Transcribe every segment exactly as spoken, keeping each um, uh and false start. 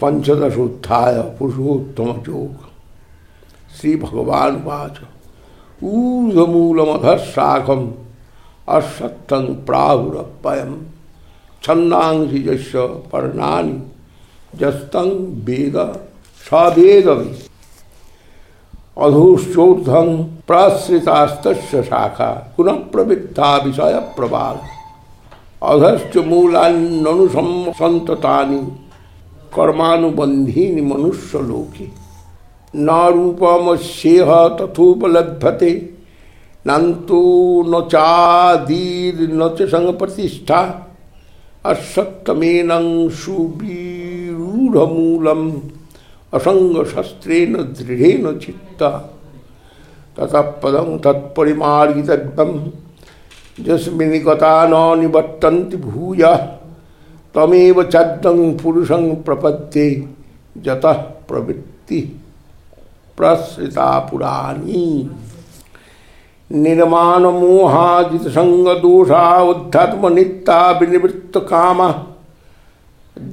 पंचदशोत्थाय पुरुषोत्तम योग। श्री भगवान वाच ऊर्ध्वमूलमधशाखम अश्वत्थं प्राहुरप्ययम् छन्दांसि यस्य पर्णानि यस्तं वेद स वेदवित् अधोश्चोर्ध्वं प्रसृतास्तस्य शाखा पुनः प्रवृद्धा विषय प्रवाल अधश्च मूलान्यनुसंसन्ततानि कर्मानुबन्धीनि मनुष्यलोके न रूपमस्येह तथोपलभ्यते नन्तो न चादीर्न च संप्रतिष्ठा अश्वत्थमेनं सुविरूढमूलम् असंगशस्त्रेण दृढेन चित्ता ततः पदं तत्परिमार्गितव्यं यस्मिन् गता न निवर्तन्ति भूयः तमेव चद्दं पुरुषं प्रपद्ये यतः प्रवृत्ति प्रसृता पुराणी निर्माण मोहाजित संग दोषा उद्धत्म नित्या विनिवृत्त काम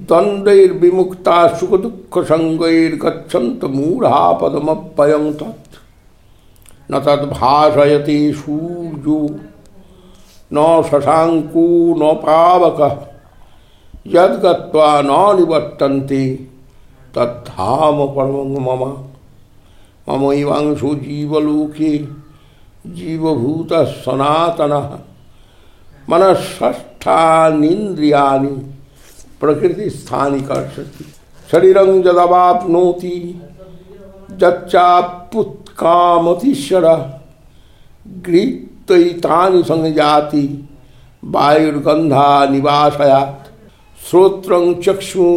द्वन्द्वैर्विमुक्ता सुख दुःख संगैर्गच्छन्त मूढ़ा पदमप्ययं तत् न तद्भासयति सूर्यो न शशांको न पावकः यद्गत्वा न निवर्तन्ते तद्धाम परमं मम ममैवांशो जीवलोके जीवभूतः सनातनः मनःषष्ठानीन्द्रियाणि प्रकृतिस्थानि कर्षति शरीरं यदवाप्नोति यच्चाप्युत्कामतीश्वरः गृहीत्वैतानि संयाति वायुर्गन्धा निवासयात् श्रोत्रं चक्षुः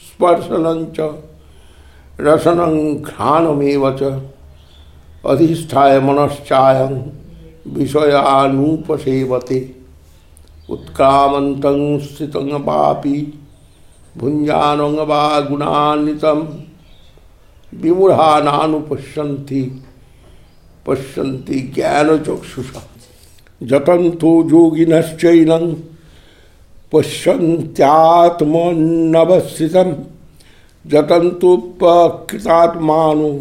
स्पर्शनं च रसनं घ्राणमेव च अधिष्ठाय मनश्चायं विषयानुपसेवते उत्क्रामन्तं स्थितं वापि भुञ्जानं वा गुणान्वितं विमूढा नानुपश्यन्ति पश्यन्ति ज्ञानचक्षुषा यतन्तो योगिनश्चैनं पश्यन्त्यात्मन्यवस्थितं यतन्तोपकृतात्मानो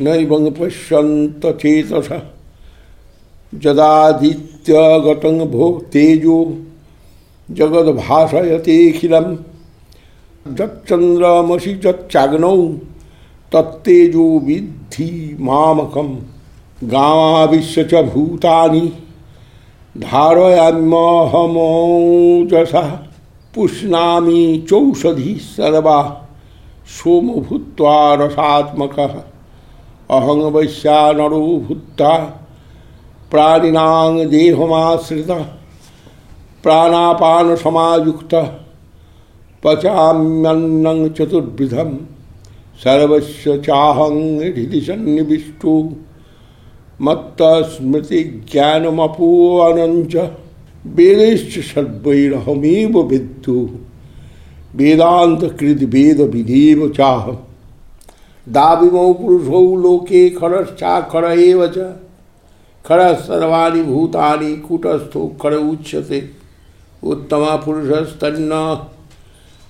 नैवं पश्यन्त चेतसः यदादित्यगतं भो तेजो जगद्भासयतेऽखिलं यच्चन्द्रमसि यच्चाग्नौ तत्तेजो विद्धि मामकं गामाविश्य च भूतानि धारयाम्यहमोजसा पुष्णामि चौषधी सर्वा सोम भूत्वा रसात्मकः अहं वैश्वानरो भूत्वा प्राणिनां देहमाश्रितः प्राणापान समायुक्तः पचाम्यन्नं चतुर्विधं सर्वस्य चाहं हृदि सन्निविष्टो मत्तस्मृतिज्ञानमपोहनं च वेदैश्च सर्वैरहमेव विद्धो वेदान्तकृद् वेदविदेव चाहम् दाविमौ पुरुषौ लोके खरश्चाक्षर एव च खरः सर्वाणि भूतानि कूटस्थोऽक्षर उच्यते उत्तमः पुरुषस्तन्न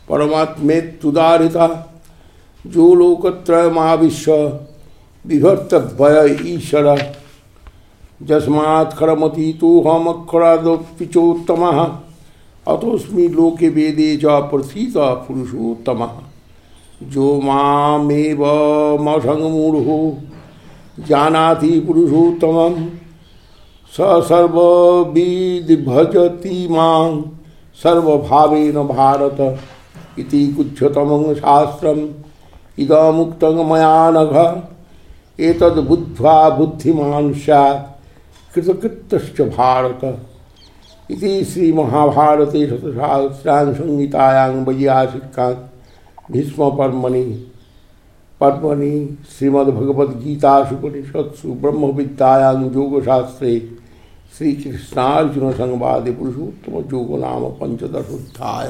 परमात्मेत्युदाहृतः जो लोकत्रयमाविश्य बिभर्त्यव्यय ईश्वरः यस्मात् खरमतीतोऽहमक्षरादपि चोत्तमः अतोऽस्मि लोके वेदे च प्रथितः पुरुषोत्तमः जो मामेवमसङ्गमूढो जानाति पुरुषोत्तमं स सर्वविद् भजति मां सर्वभावेन भारत इति गुह्यतमं शास्त्रम् इदमुक्तं मया नघ एतद् बुद्ध्वा बुद्धिमान् स्यात् कृतकृत्यश्च भारत इति श्रीमहाभारते शतसहस्रां संहितायां वैयासिकां भीष्म पर्वणि पर्वणि श्रीमद्भगवद्गीतासु ब्रह्म विद्यायां योगशास्त्रे श्रीकृष्णार्जुन संवादे पुरुषोत्तम योग नाम पंचदशोध्याय।